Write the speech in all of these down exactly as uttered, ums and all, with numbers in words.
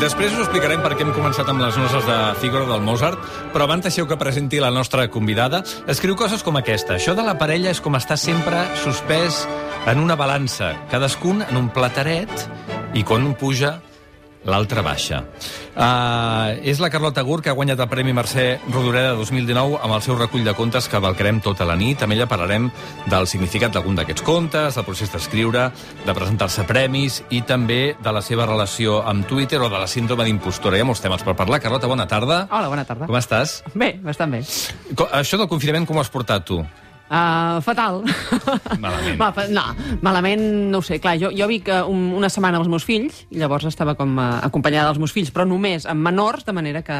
Després us explicarem per què hem començat amb les noces de Fígaro del Mozart, però abans deixeu que presenti la nostra convidada. Escriu coses com aquesta. Això de la parella és com estar sempre suspès en una balança, cadascun en un plataret, i quan un puja, l'altre baixa. Uh, és la Carlota Gur, que ha guanyat el Premi Mercè Rodoreda dos mil dinou amb el seu recull de contes que valcarem tota la nit. Amb ella parlarem del significat d'algun d'aquests contes, del procés d'escriure, de presentar-se a premis i també de la seva relació amb Twitter o de la síndrome d'impostora. Hi ha molts temes per parlar. Carlota, bona tarda. Hola, bona tarda. Com estàs? Bé, bastant bé. Això del confinament com ho has portat tu? Uh, fatal. Malament. Va, no, malament, no ho sé. Clar, jo, jo vic un, una setmana amb els meus fills i llavors estava com uh, acompanyada dels meus fills, però només amb menors, de manera que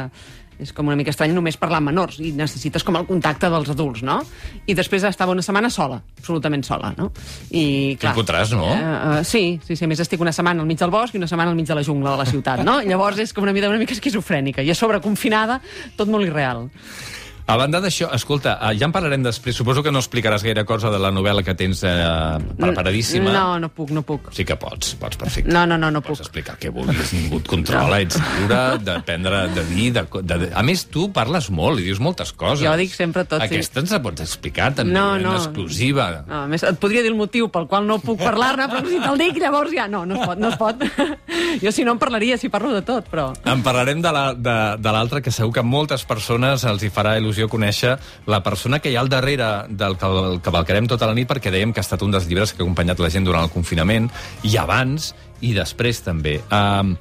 és com una mica estrany només parlar amb menors i necessites com el contacte dels adults, no? I després estava una setmana sola, absolutament sola, no? I, clar... Quin fotràs, no? Uh, uh, sí, sí, sí, a més estic una setmana al mig del bosc i una setmana al mig de la jungla de la ciutat, no? Llavors és com una vida una mica esquizofrènica i a sobre confinada, tot molt irreal. A banda d'això, escolta, ja en parlarem després. Suposo que no explicaràs gaire cosa de la novel·la que tens eh, preparadíssima. No, no puc, no puc. Sí que pots, pots perfecte. No, no, no, no pots puc. explicar què vulguis, ningú et controla, ets lliure d'aprendre, de dir... De, de, de... A més, tu parles molt i dius moltes coses. Jo dic sempre tot, sí. Aquesta ens la pots explicar també, no, en no. exclusiva. No, a més, et podria dir el motiu pel qual no puc parlar-ne, però si te'l dic, llavors ja no, no es pot, no es pot. Jo si no en parlaria, si parlo de tot, però... En parlarem de l'altre, que segur que a moltes persones els hi farà il·lusió conèixer la persona que hi ha al darrere del que cavalcarem tota la nit, perquè dèiem que ha estat un dels llibres que ha acompanyat la gent durant el confinament, i abans i després també. Uh,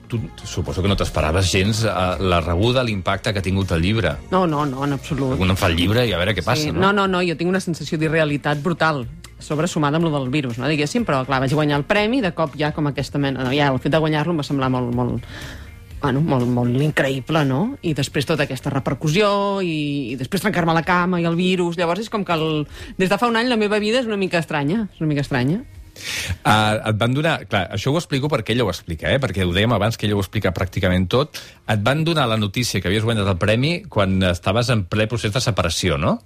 tu suposo que no t'esperaves gens uh, la rebuda, l'impacte que ha tingut el llibre. No, no, no, en absolut. Un en fa el llibre i a veure què passa, sí, no? No, no, no, jo tinc una sensació d'irrealitat brutal, sobresumada amb lo del virus, no, diguéssim, però clar, vaig guanyar el premi, de cop ja com aquesta mena... No, ja el fet de guanyar-lo em va semblar molt... molt Bueno, molt, molt increïble, no? I després tota aquesta repercussió i, i després trencar-me la cama i el virus. Llavors és com que el, des de fa un any la meva vida és una mica estranya. És una mica estranya. Uh, et van donar... Clar, això ho explico perquè ella ho explica, eh? Perquè ho dèiem abans que ella ho explica pràcticament tot. Et van donar la notícia que havies guanyat el premi quan estaves en ple procés de separació, no?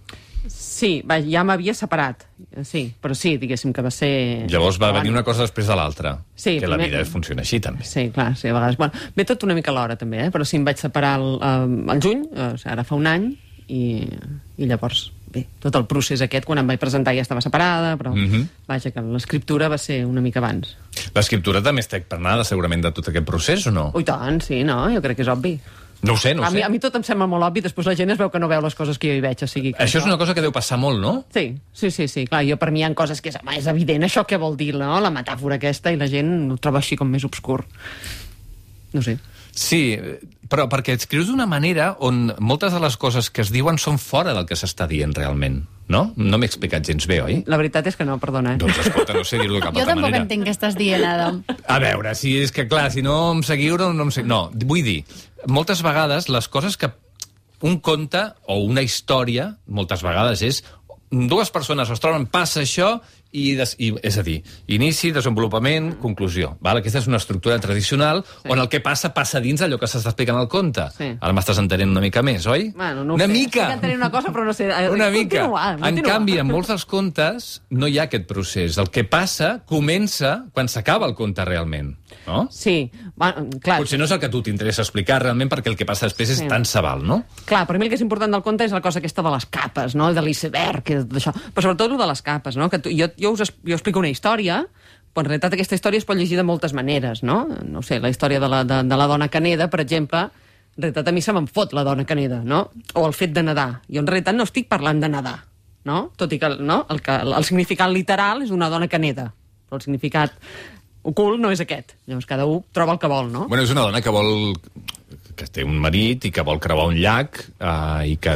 Sí, va, ja m'havia separat, sí, però sí, diguéssim que va ser... Llavors va venir una cosa després de l'altra, sí, que la vida funciona així, també. Sí, clar, sí, a vegades... Bueno, ve tot una mica a l'hora, també, eh? Però sí, em vaig separar el, el juny, o sigui, ara fa un any, i, i llavors, bé, tot el procés aquest, quan em vaig presentar ja estava separada, però, mm-hmm. vaja, que l'escriptura va ser una mica abans. L'escriptura també està impregnada, segurament, de tot aquest procés, o no? Ui, tant, sí, no? Jo crec que és obvi. No ho sé, no ho a mi, sé. A mi tot em sembla molt obvi, després la gent es veu que no veu les coses que jo hi veig, o sigui... Que això és una cosa que deu passar molt, no? Sí, sí, sí, sí. Clar, jo per mi hi ha coses que és, home, és evident això què vol dir, no? La metàfora aquesta, i la gent ho troba així com més obscur. No sé. Sí, però perquè escrius d'una manera on moltes de les coses que es diuen són fora del que s'està dient realment, no? No m'he explicat gens bé, oi? La veritat és que no, perdona. Eh? Doncs escolta, no sé dir-ho de cap altra manera. Jo tampoc entenc què estàs dient, Adam. A veure, si és que clar, si no em seguiu, no, no em seguiu. No, vull dir, moltes vegades les coses que un conte o una història, moltes vegades és dues persones es troben, passa això, i, des, i és a dir, inici, desenvolupament, conclusió. Val? Aquesta és una estructura tradicional, sí, on el que passa, passa dins allò que s'està explicant al conte. Sí. Ara m'estàs entenent una mica més, oi? Bueno, no una sé. mica! Estic entenent una cosa, però no sé. Una mica. Continua, continua. En canvi, en molts dels contes no hi ha aquest procés. El que passa comença quan s'acaba el conte realment. No? Sí, bueno, clar. Potser no és el que a tu t'interessa explicar realment, perquè el que passa després és sí. tant se val, no? Clar, per mi el que és important del conte és la cosa aquesta de les capes, no? De l'iceberg, d'això. Però sobretot el de les capes, no? Que tu, jo, jo us jo explico una història, però en realitat aquesta història es pot llegir de moltes maneres, no? No sé, la història de la, de, de la dona Caneda, per exemple, en realitat a mi se me'n fot la dona Caneda, no? O el fet de nedar. Jo en realitat no estic parlant de nedar, no? Tot i que, no? el, que el significat literal és una dona que neda, però el significat ocult no és aquest. Llavors cada un troba el que vol, no? Bueno, és una dona que vol... que té un marit i que vol creuar un llac uh, i, que,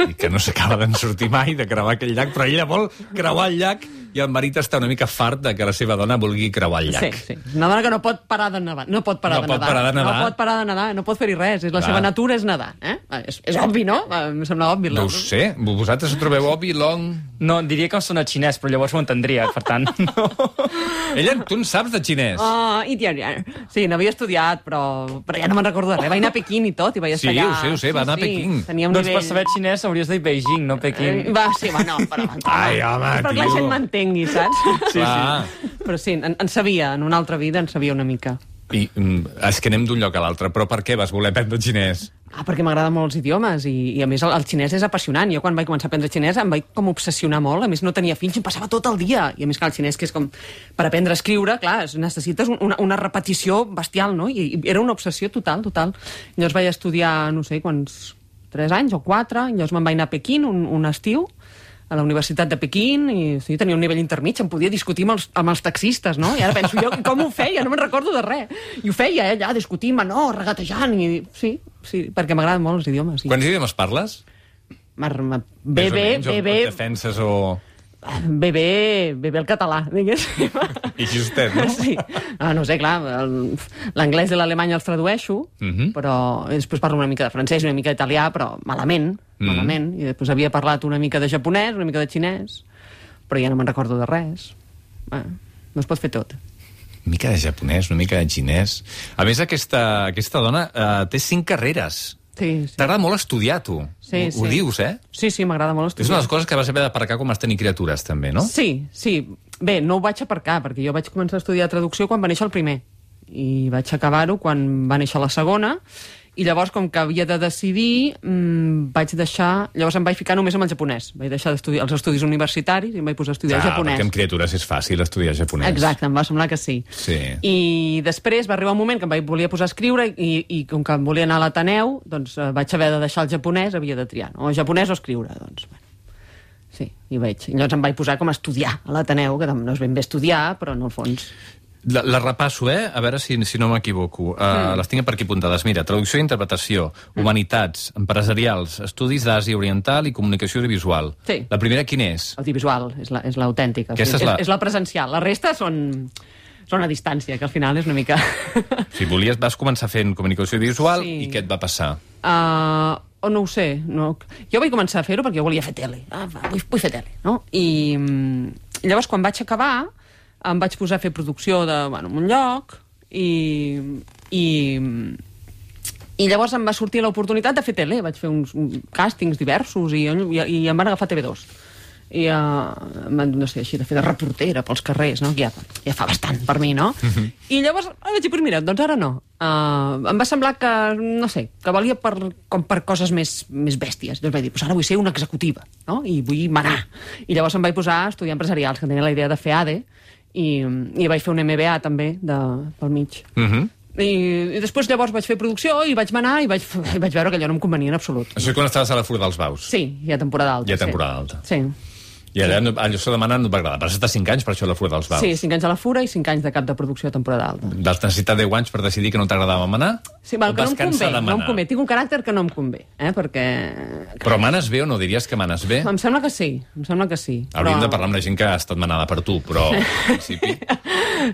i que no s'acaba d'en sortir mai de creuar aquell llac, però ella vol creuar el llac i el marit està una mica fart de que la seva dona vulgui creuar el llac. Sí, sí. Una dona que no pot parar de nedar. No pot parar, no de, pot nedar. parar de nedar. No pot parar de nedar, no pot fer-hi res. La Clar. seva natura és nedar. Eh? És, és obvi, no? Em sembla obvi. No ho sé. Vosaltres ho trobeu obvi, Long? No, diria que em sona xinès, però llavors ho entendria, per tant, no. Ella, tu en saps de xinès? Oh, i tia, sí, n'havia estudiat, però, però ja no me'n recordo de res. Vaig anar a Pequín i tot, i vaig estar sí, allà. Sí, ho sé, ho sé, va anar sí, a Pequín. Sí, tenia un doncs nivell... per saber xinès hauries de dir Beijing, no Pequín. Eh, va, sí, va, no, però... Ai, home, és perquè tio. la gent m'entengui, saps? Sí, Clar. sí. Però sí, en, en sabia, en una altra vida en sabia una mica. I mm, és que anem d'un lloc a l'altre, però per què vas voler aprendre xinès? Ah, perquè m'agraden molt els idiomes i, i a més el, el xinès és apassionant. Jo quan vaig començar a aprendre xinès em vaig com obsessionar molt. A més no tenia fills i em passava tot el dia. I a més que el xinès, que és com per aprendre a escriure, clar, necessites una, una repetició bestial, no? I, i era una obsessió total, total. Llavors vaig estudiar, no sé, quants... tres anys o quatre. Llavors me'n vaig anar a Pequín un, un estiu, a la Universitat de Pequín, i sí, tenia un nivell intermig, em podia discutir amb els, amb els taxistes, no? I ara penso jo, com ho feia? No me'n recordo de res. I ho feia, eh, allà, discutint, no, regatejant, i sí, sí, perquè m'agraden molt els idiomes. Sí. Quants idiomes parles? Mar, mar, bé, bé, bé, bé... Defenses o... Bé, bé, bé, bé el català, diguéssim. I justet, no? Sí. Ah, no sé, clar, el- l'anglès i l'alemany els tradueixo, Mhm. però després parlo una mica de francès i una mica d'italià, però malament, Mhm. malament. I després havia parlat una mica de japonès, una mica de xinès, però ja no me'n recordo de res. Ah, no es pot fer tot. Una mica de japonès, una mica de xinès... A més, aquesta, aquesta dona eh, té cinc carreres. Sí, sí. T'agrada molt estudiar, tu. Sí, ho, sí. ho dius, eh? Sí, sí, m'agrada molt És una estudiar. de les coses que vas haver d'aparcar quan vas tenir criatures, també, no? Sí, sí. Bé, no ho vaig aparcar, perquè jo vaig començar a estudiar traducció quan va néixer el primer. I vaig acabar-ho quan va néixer la segona. I llavors, com que havia de decidir, mmm, vaig deixar... Llavors em vaig ficar només amb el japonès. Vaig deixar d'estudiar els estudis universitaris i em vaig posar a estudiar Ah, japonès. perquè amb criatures és fàcil estudiar japonès. Exacte, em va semblar que sí. Sí. I després va arribar un moment que em vaig, volia posar a escriure i, i com que em volia anar a l'Ateneu, doncs eh, vaig haver de deixar el japonès, havia de triar, no? O japonès o escriure, doncs, bueno. Sí, i vaig. I llavors em vaig posar com a estudiar a l'Ateneu, que no és ben bé estudiar, però en el fons... La, la repasso, eh? A veure si, si no m'equivoco. Uh, mm. Les tinc per aquí apuntades. Mira, traducció i interpretació, humanitats, empresarials, estudis d'Àsia Oriental i comunicació audiovisual. Sí. La primera, quina és? Audiovisual, és la- és l'autèntica. Aquesta és la- és, és la presencial. La resta són, són a distància, que al final és una mica... Si volies, vas començar fent comunicació audiovisual Sí. i què et va passar? Uh, o no ho sé. No. Jo vaig començar a fer-ho perquè jo volia fer tele. Ah, va, vull, vull fer tele, no? I mm, llavors, quan vaig acabar, em vaig posar a fer producció de, bueno, en un lloc i, i, i llavors em va sortir l'oportunitat de fer tele. Vaig fer uns uns càstings diversos i, i, i em van agafar a T V dos. I uh, no sé, així de fer de reportera pels carrers, no? Que ja, ja fa bastant per mi, no? Uh-huh. I llavors vaig dir, pues mira, doncs ara no. Uh, em va semblar que, no sé, que valia per, com per coses més, més bèsties. Llavors vaig dir, pues ara vull ser una executiva, no? I vull manar. I llavors em vaig posar a estudiar empresarials, que tenia la idea de fer A D E, i, i vaig fer un M B A també de, pel mig. Uh -huh. I, i després llavors vaig fer producció i vaig manar i vaig, i vaig veure que allò no em convenia en absolut. Això és quan estaves a la Fura dels Baus. Sí, hi ha temporada alta. Hi ha temporada alta. Sí. I allà, no, allò s'ho demana no et va agradar. Vas estar cinc anys per això a la Fura dels Baus. Sí, cinc anys a la Fura i cinc anys de cap de producció a temporada alta. Vas necessitar deu anys per decidir que no t'agradava manar? Sí, val, O que no vas em cansar convé, de no em manar? convé. Tinc un caràcter que no em convé, eh? Perquè... Però manes bé o no diries que manes bé? Em sembla que sí, em sembla que sí. Hauríem però... de parlar amb la gent que ha estat manada per tu, però en principi...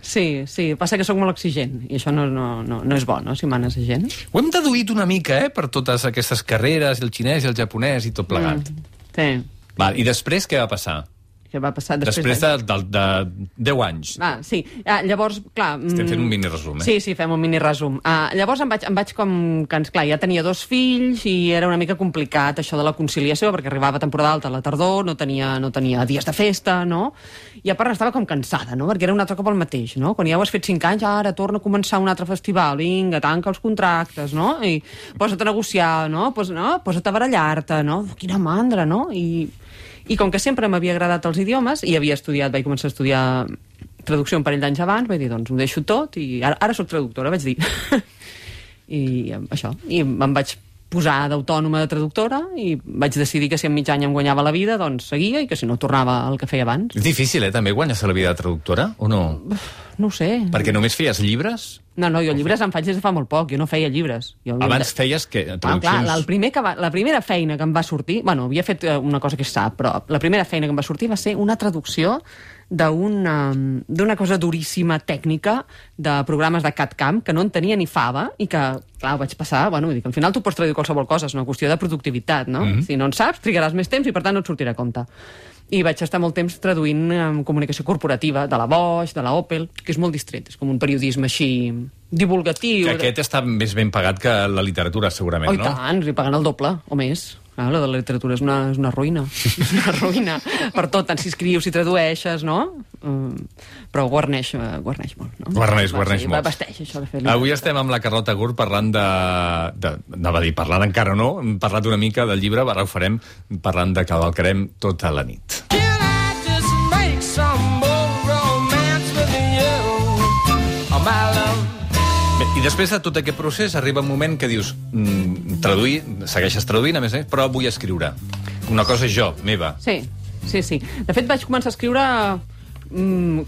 Sí, sí, passa que sóc molt exigent i això no, no, no, no és bo, no?, si manes a gent. Ho hem deduït una mica, eh?, per totes aquestes carreres, el xinès i el japonès i tot plegat. Mm, sí. Val, i després què va passar? Què va passar després? Després de, de, de deu anys. Ah, sí. Ah, llavors, clar... Estem mm, fent un mini-resum, eh? Sí, sí, fem un mini-resum. Ah, llavors em vaig, em vaig com... Que, clar, ja tenia dos fills i era una mica complicat això de la conciliació, perquè arribava temporada alta a la tardor, no tenia, no tenia dies de festa, no? I a part estava com cansada, no?, perquè era un altre cop el mateix, no? Quan ja ho has fet cinc anys, ara torna a començar un altre festival, vinga, tanca els contractes, no? I posa't a negociar, no? Pos, no? Posa't a barallar-te, no? Quina mandra, no? I... I com que sempre m'havia agradat els idiomes, i havia estudiat, vaig començar a estudiar traducció un parell d'anys abans, vaig dir, doncs ho deixo tot, i ara, ara sóc traductora, vaig dir. I això, i em vaig posar d'autònoma de traductora, i vaig decidir que si en mig any em guanyava la vida, doncs seguia, i que si no tornava al que feia abans. És difícil, eh, també, guanyar-se la vida de traductora, o no? No ho sé. Perquè només feies llibres? No, no, jo llibres em faig des de fa molt poc, jo no feia llibres. Jo Abans feies que, Ah, traduccions... clar, la, el primer que va, la primera feina que em va sortir... Bueno, havia fet eh, una cosa que es sap, però la primera feina que em va sortir va ser una traducció d'una d'una cosa duríssima tècnica de programes de C A D C A M que no en tenia ni fava i que, clar, ho vaig passar... Bueno, vull dir que al final tu pots traduir qualsevol cosa, és una qüestió de productivitat, no? Mm-hmm. Si no en saps, trigaràs més temps i, per tant, no et sortirà a compte. I vaig estar molt temps traduint en comunicació corporativa, de la Bosch, de la Opel, que és molt distret, és com un periodisme així divulgatiu. Que aquest està més ben pagat que la literatura, segurament, Oh, i no? tant, li paguen el doble, o més. Ah, la de la literatura és una, és una ruïna. És una ruïna. Per tot, tant si escrius, si tradueixes, no? Uh, però guarneix, uh, guarneix molt, no? Guarneix, guarneix sí, molt. Vesteix, això de fer literatura. Avui estem amb la Carlota Gurt parlant de... de anava a dir, parlant encara no, hem parlat una mica del llibre, ara ho farem parlant de Cavalcarem tota la nit. Can I just make some more romance with you, oh my love? Bé, i després de tot aquest procés arriba un moment que dius mm, traduir, segueixes traduint a més a més, però vull escriure una cosa jo, meva. Sí, sí, sí. De fet vaig començar a escriure mm,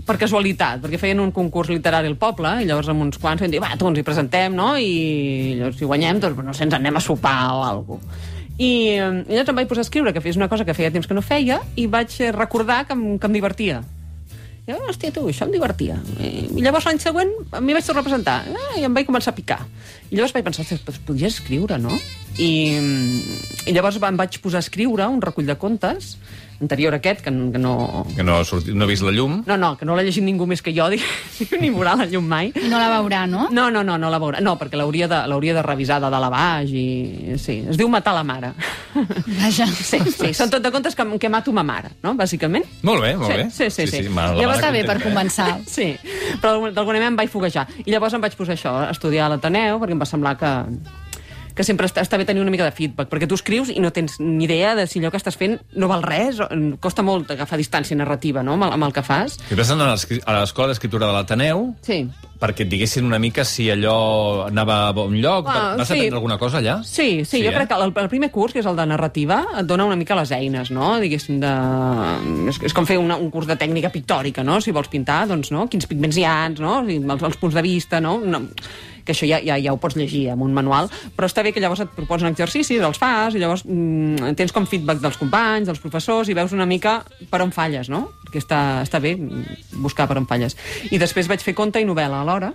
per casualitat, perquè feien un concurs literari al poble, i llavors amb uns quants vam dir, va, tu ens hi presentem, no? I llavors si guanyem, doncs no sé, ens anem a sopar o alguna cosa. I, i llavors em vaig posar a escriure, que fes una cosa que feia temps que no feia, i vaig recordar que em, que em divertia. I jo, hòstia, tu, això em divertia. I, i llavors l'any següent m'hi vaig tornar a presentar. Ah, I em vaig començar a picar. I llavors vaig pensar, doncs podries escriure, no? I, i llavors em vaig posar a escriure un recull de contes anterior a aquest, que, que no... Que no ha, sortit, no ha vist la llum. No, no, que no l'ha llegit ningú més que jo, diguéssim, ni veurà la llum mai. I no la veurà, no? No, no, no, no la veurà. No, perquè l'hauria de, l'hauria de revisar de dalt a baix i... Sí, es diu Matar la mare. Vaja. Sí, sí, són tot de contes que, que mato ma mare, no?, bàsicament. Molt bé, molt Sí, bé. sí, sí, sí. ma- la Llavors mare està bé per contenta, eh? començar. Sí, però d'alguna manera em vaig foguejar. I llavors em vaig posar això, a estudiar a l'Ateneu, perquè em va semblar que, que sempre està, està bé tenir una mica de feedback, perquè tu escrius i no tens ni idea de si allò que estàs fent no val res, o, costa molt agafar distància narrativa, no?, amb el, amb el que fas. I vas anar a l'escri- a l'Escola d'Escriptura de l'Ateneu Sí. perquè et diguessin una mica si allò anava a bon lloc. Ah, Vas sí. aprendre alguna cosa allà? Sí, sí, sí, jo eh? crec que el, el primer curs, que és el de narrativa, et dona una mica les eines, no?, diguéssim, de... És, és com fer una, un curs de tècnica pictòrica, no?, si vols pintar, doncs, no?, quins pigments hi ha, no?, els, els punts de vista, no?, no que això ja, ja, ja ho pots llegir amb un manual, però està bé que llavors et proposen exercicis, els fas, i llavors mm, tens com feedback dels companys, dels professors, i veus una mica per on falles, no?, perquè està, està bé buscar per on falles. I després vaig fer conte i novel·la alhora,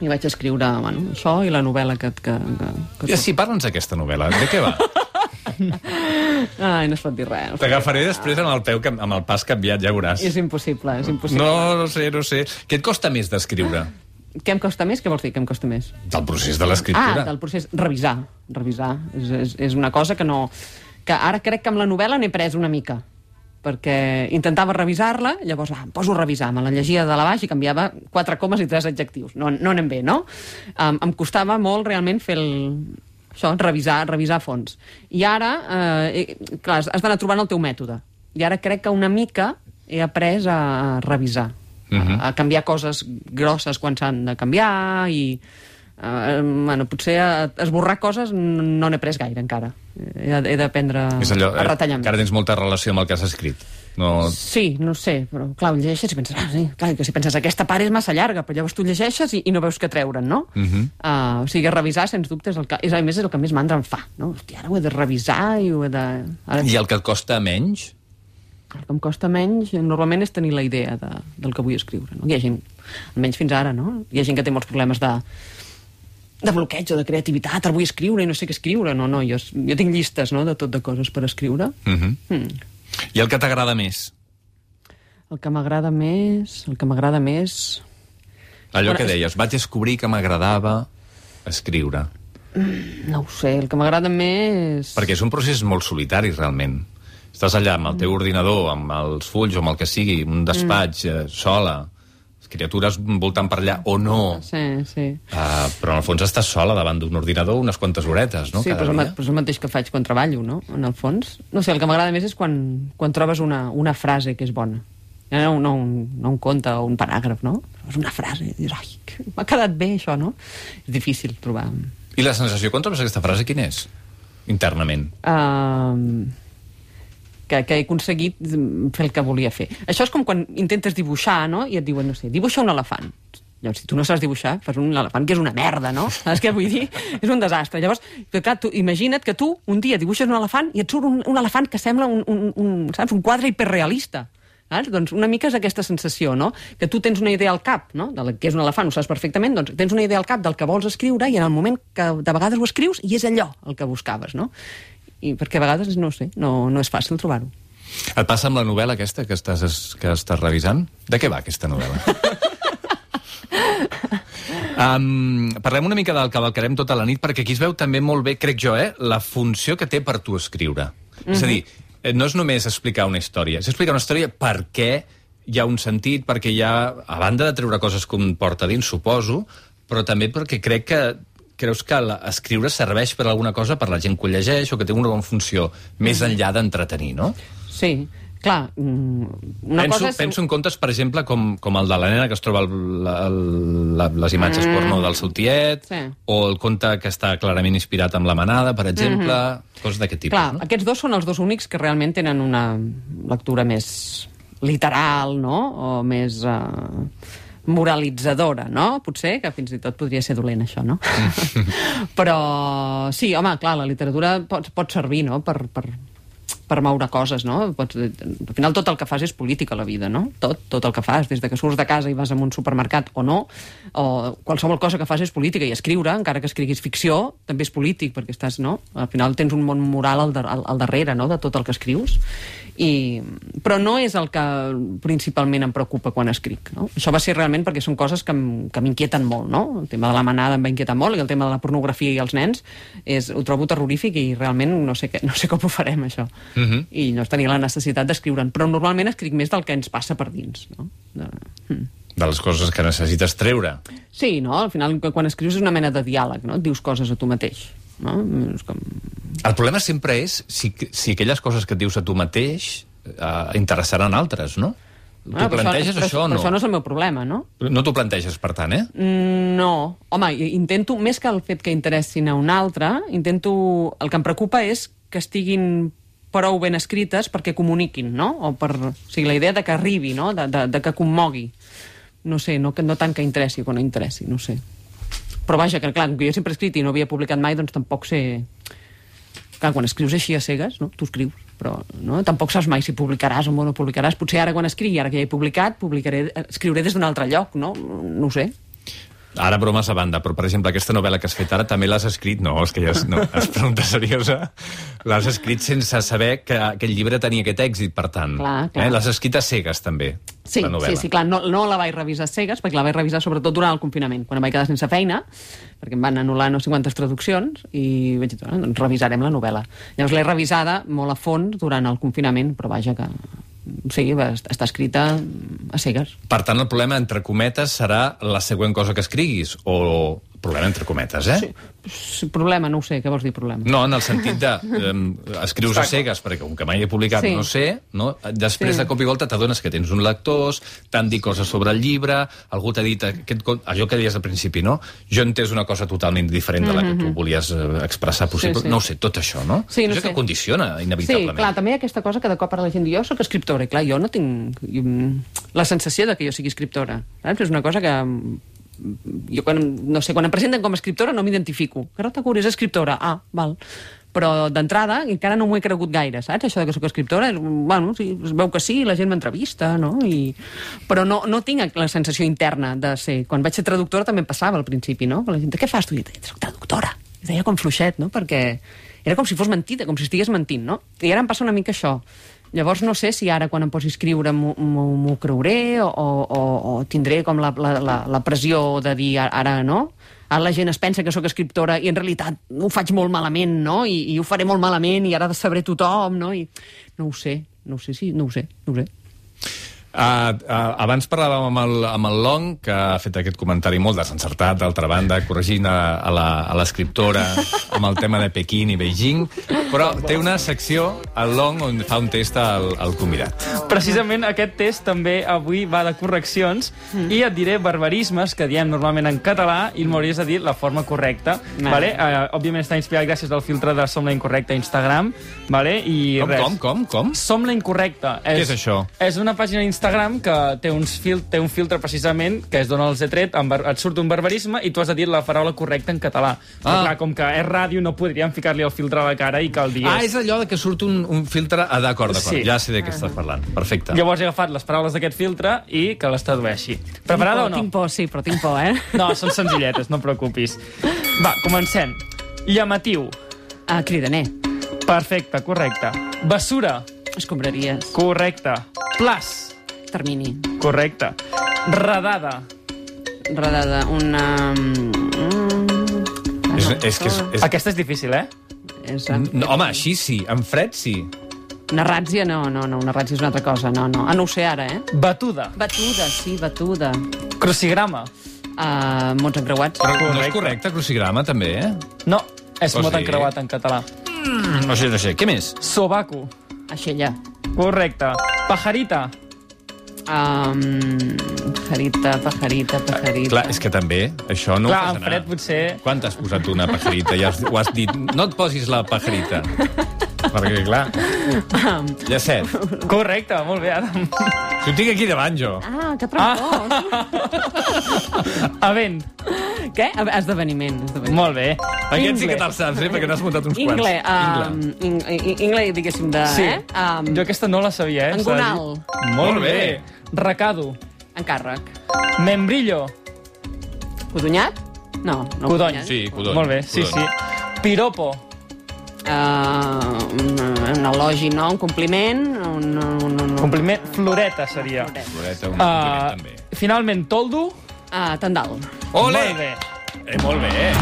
i vaig escriure, bueno, això i la novel·la que... que, que, que I sí, parla'ns d'aquesta novel·la. De què va? Ai, no es pot dir res. No es pot T'agafaré després amb el peu, que- amb el pas canviat, ja veuràs. És impossible, és impossible. No, no sé, no sé. Què et costa més d'escriure? Què em costa més? Què vols dir, què em costa més? Del procés de l'escriptura. Ah, del procés. Revisar. Revisar. És, és, és una cosa que no... Que ara crec que amb la novel·la n'he pres una mica. Perquè intentava revisar-la, llavors ah, em poso a revisar, me la llegia de la baix i canviava quatre comes i tres adjectius. No, no anem bé, no? Um, em costava molt realment fer el... Això, revisar, revisar a fons. I ara, eh, clar, has d'anar trobant el teu mètode. I ara crec que una mica he après a revisar. Uh-huh. A canviar coses grosses quan s'han de canviar i uh, bueno, potser a esborrar coses no n'he pres gaire encara. He, he d'aprendre És allò, a retallar eh, més. que ara tens molta relació amb el que has escrit. No... Sí, no sé, però clar, ho llegeixes i penses, ah, sí, clar, que si penses aquesta part és massa llarga, però llavors tu llegeixes i, i no veus què treure'n, no? Uh-huh. Uh, o sigui, revisar, sens dubte, és el que, és, a més, és el que més mandra em fa, no? Hòstia, ara ho he de revisar i ho he de... Ara... I el que et costa menys? El que em costa menys, normalment, és tenir la idea de, del que vull escriure, no? Hi ha gent, almenys fins ara, no? Hi ha gent que té molts problemes de, de bloqueig o de creativitat, ara vull escriure i no sé què escriure. No, no, jo, jo tinc llistes, no?, de tot de coses per escriure. Uh-huh. Mm. I el que t'agrada més? El que m'agrada més... El que m'agrada més... Allò Bueno, que és- deies, vaig descobrir que m'agradava escriure. No ho sé, el que m'agrada més... Perquè és un procés molt solitari, realment. Estàs allà amb el teu ordinador, amb els fulls o amb el que sigui, un despatx, mm. eh, sola, les criatures voltant per allà, o no. Sí, sí. Uh, però en el fons estàs sola davant d'un ordinador unes quantes horetes, no? Sí, Cada però és, el, ma- dia. però és el mateix que faig quan treballo, no?, en el fons. No sé, el que m'agrada més és quan, quan trobes una, una frase que és bona. Ja no, no, un, no un conte o un paràgraf, no? Però és una frase, i dius, ai, que m'ha quedat bé això, no? És difícil trobar... I la sensació quan trobes aquesta frase, quina és? Internament. Uh, que, que he aconseguit fer el que volia fer. Això és com quan intentes dibuixar, no?, i et diuen, no sé, dibuixa un elefant. Llavors, si tu no saps dibuixar, fas un elefant que és una merda, no? Saps què vull dir? És un desastre. Llavors, clar, tu, imagina't que tu un dia dibuixes un elefant i et surt un, un elefant que sembla un, un, un, saps, un quadre hiperrealista. Saps? Doncs una mica és aquesta sensació, no?, que tu tens una idea al cap, no?, de la, que és un elefant, ho saps perfectament, doncs tens una idea al cap del que vols escriure i en el moment que de vegades ho escrius i és allò el que buscaves, no? I perquè a vegades, no sé, no, no és fàcil trobar-ho. Et passa amb la novel·la aquesta que estàs, que estàs revisant? De què va aquesta novel·la? Um, parlem una mica del Cavalcarem tota la nit, perquè aquí es veu també molt bé, crec jo, eh, la funció que té per tu escriure. Mm-hmm. És a dir, no és només explicar una història, és explicar una història perquè hi ha un sentit, perquè hi ha, a banda de treure coses que un porta dins, suposo, però també perquè crec que creus que la, escriure serveix per alguna cosa per la gent que ho llegeix o que té una bona funció més enllà d'entretenir, no? Sí, clar. Una penso, cosa és... penso en contes, per exemple, com, com el de la nena que es troba el, la, la, les imatges mm. porno del seu tiet, sí. O el conte que està clarament inspirat amb la manada, per exemple, mm-hmm. coses d'aquest tipus. Clar, no? Aquests dos són els dos únics que realment tenen una lectura més literal, no?, o més... Uh... moralitzadora, no? Potser, que fins i tot podria ser dolent, això, no? Però, sí, home, clar, la literatura pot, pot servir, no?, per, per, per moure coses, no? Pots, al final tot el que fas és política a la vida, no? Tot, tot el que fas, des de que surts de casa i vas a un supermercat o no, o qualsevol cosa que fas és política, i escriure, encara que escriguis ficció, també és polític, perquè estàs, no? Al final tens un món moral al, al, al darrere, no?, de tot el que escrius. I... Però no és el que principalment em preocupa quan escric, no? Això va ser realment perquè són coses que m'inquieten molt, no? El tema de la manada em va inquietar molt, i el tema de la pornografia i els nens és, ho trobo terrorífic, i realment no sé, què, no sé com ho farem, això. Uh-huh. I no tenia la necessitat d'escriure'n, però normalment escric més del que ens passa per dins, no? De... Hmm. De les coses que necessites treure. Sí, no? Al final, quan escrius és una mena de diàleg, no? Et dius coses a tu mateix, no? És com... El problema sempre és si, si aquelles coses que et dius a tu mateix eh, interessaran altres, no? Tu ah, planteges això, això o no? Però això no és el meu problema, no? No t'ho planteges, per tant, eh? No. Home, intento, més que el fet que interessin a un altre, intento... El que em preocupa és que estiguin prou ben escrites perquè comuniquin, no? O per... O sigui, la idea de que arribi, no? De, de, de que commogui. No sé, no, no tant que interessi o que no interessi, no sé. Però vaja, que clar, que jo sempre he escrit i no havia publicat mai, doncs tampoc sé... Clar, quan escrius així a cegues, no? Tu escrius, però no? Tampoc saps mai si publicaràs o no publicaràs. Potser ara quan escrigui, ara que ja he publicat, publicaré, escriuré des d'un altre lloc, no? No ho sé. Ara, bromes a banda, però, per exemple, aquesta novel·la que has fet ara també l'has escrit... No, és que ja és, no, és pregunta seriosa. L'has escrit sense saber que aquest llibre tenia aquest èxit, per tant. Clar, clar. Eh? L'has escrit a cegues, també, sí, la novel·la. Sí, sí, clar, no, no la vaig revisar a cegues, perquè la vaig revisar sobretot durant el confinament, quan em vaig quedar sense feina, perquè em van anul·lar no sé quantes traduccions, i vaig dir, doncs revisarem la novel·la. Llavors l'he revisada molt a fons durant el confinament, però vaja que... Sí, està escrita a cegues. Per tant, el problema, entre cometes, serà la següent cosa que escriguis, o problema entre cometes, eh? Sí, sí, problema, no ho sé, què vols dir problema? No, en el sentit de eh, escrius a cegues, perquè com que mai he publicat sí. no sé, no? Després sí. de cop i volta t'adones que tens un lectors, t'han dit coses sobre el llibre, algú t'ha dit aquest, allò que deies al principi, no? Jo he entès una cosa totalment diferent de la que tu volies expressar possible. Sí, sí. No ho sé, tot això, no? Sí, no això sé. Que condiciona, inevitablement. Sí, clar, també hi ha aquesta cosa que de cop ara la gent diu, jo soc escriptora, i clar, jo no tinc la sensació de que jo sigui escriptora. Saps? És una cosa que... Jo, quan, no sé, quan em presenten com a escriptora no m'identifico. Carlota Curi és escriptora. Ah, val. Però d'entrada encara no m'ho he cregut gaire, saps? Això de que soc escriptora, bueno, sí, es veu que sí, la gent m'entrevista, no? I... Però no, no tinc la sensació interna de ser... Quan vaig ser traductora també em passava al principi, no? Que la gent, què fas tu? I deia, soc traductora. I deia com fluixet, no? Perquè era com si fos mentida, com si estigués mentint, no? I ara em passa una mica això. Llavors no sé si ara quan em posi a escriure m'ho creuré o, o, o tindré com la, la, la, la pressió de dir ara no, ara la gent es pensa que sóc escriptora i en realitat ho faig molt malament, no? I, i ho faré molt malament i ara ha de saber tothom, no? I no ho sé, no ho sé, sí, no ho sé, no ho sé. Uh, uh, abans parlàvem amb el, amb el Long, que ha fet aquest comentari molt desencertat, d'altra banda, corregint a, a l'escriptora amb el tema de Pequín i Beijing, però té una secció, el Long, on fa un test al, al convidat. Precisament aquest test també avui va de correccions mm. i et diré barbarismes que diem normalment en català i m'hauries de dir la forma correcta. No. Vale? Uh, òbviament està inspirat gràcies al filtre de Som la Incorrecta a Instagram. Vale? I com, res. com, com, com? Som la Incorrecta. Què és això? És una pàgina Instagram que té, uns fil té un filtre precisament que es dona els he tret, et surt un barbarisme i tu has de dir la paraula correcta en català. Però ah. clar, com que és ràdio no podríem ficar-li el filtre a la cara i que el digués. Ah, és allò de que surt un, un filtre... Ah, d'acord, d'acord, sí. Ja sé de què estàs parlant. Perfecte. Llavors he agafat les paraules d'aquest filtre i que les tradueixi. Preparada o no? Tinc por, sí, però tinc por, eh? No, són senzilletes, no et preocupis. Va, comencem. Llamatiu. Ah, cridaner. Perfecte, correcte. Bessura. redada, una... Mm, És, és que és, és... Aquesta és difícil, eh? és, No, home, així sí, en fred sí. una ràtzia, no, no, no, una ràtzia és una altra cosa, no, no. Ah, no ho sé ara, eh? Batuda. Batuda, sí, batuda. Crucigrama. Uh, mots encreuats. Però no és Correcte. correcte, crucigrama, també, eh? No, és O mot sigui- encreuat en català. Mm, no sé, no sé. Què més? Sobaco. Aixella. Correcte. Pajarita. Um, pajarita, pajarita, pajarita. Clar, és que també, això no Clar, ho fas en anar. fred potser... Quan t'has posat una pajarita? Ja has, ho has dit. No et posis la pajarita. Perquè, clar, ja set. Correcte, molt bé, Adam. Si ho tinc aquí davant, jo. Ah, que trampós. Avent. Què? Esdeveniment. esdeveniment. Molt bé. Aquest sí que te'l saps, eh? Perquè n'has muntat uns quants. Ingle, Ingle. um, in, in, ingle, diguéssim, de... Sí. Eh? Um, Jo aquesta no la sabia, eh? Engonal. s'ha de dir. Molt Molt bé. bé. Recado. Encàrrec. Membrillo. Codonyat? No, no Codony. codonyat. Sí, codony. Molt bé, sí, Codony. sí. Piropo. Uh, un, un elogi, no? Un compliment? Un, un, un, Compliment. Floreta seria. Floreta, un Uh, compliment, també. finalment, toldo. Uh, tendal. Ole! Molt bé. Eh, molt bé.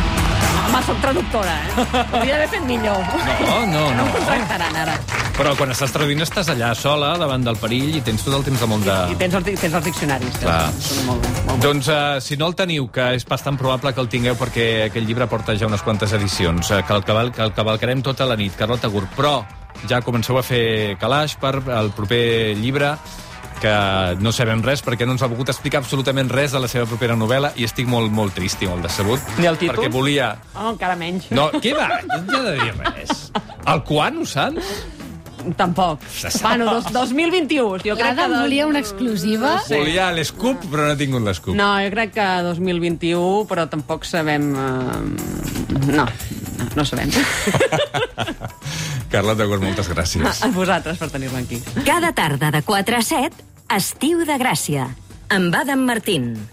Home, soc traductora, eh? Hauria d'haver fet millor. No, no, No no. em contractaran, ara. Però quan estàs traduint estàs allà sola, davant del perill, i tens tot el temps del món de... I tens, els, tens els diccionaris. Que Clar. són molt, bé, molt bé. Doncs, uh, si no el teniu, que és bastant probable que el tingueu perquè aquest llibre porta ja unes quantes edicions, uh, que, el caval, que el cavalcarem tota la nit, Carlota Gurt, però ja comenceu a fer calaix per el proper llibre, que no sabem res perquè no ens ha volgut explicar absolutament res de la seva propera novel·la i estic molt, molt trist i molt decebut. Ni el títol? Perquè volia... Oh, encara menys. No, què va? No he de dir res. El quan, ho saps? Tampoc. Se sap. Bueno, dos, dos mil vint-i-u. Jo crec que... L'Adam dos- volia una exclusiva. Sí. Volia l'escup, però no he tingut l'escup. No, jo crec que dos mil vint-i-u, però tampoc sabem... Uh... No, no, no sabem. Carlota Gurt, moltes gràcies. A vosaltres per tenir-me aquí. Cada tarda de quatre a set, Estiu de Gràcia, amb Adam Martín.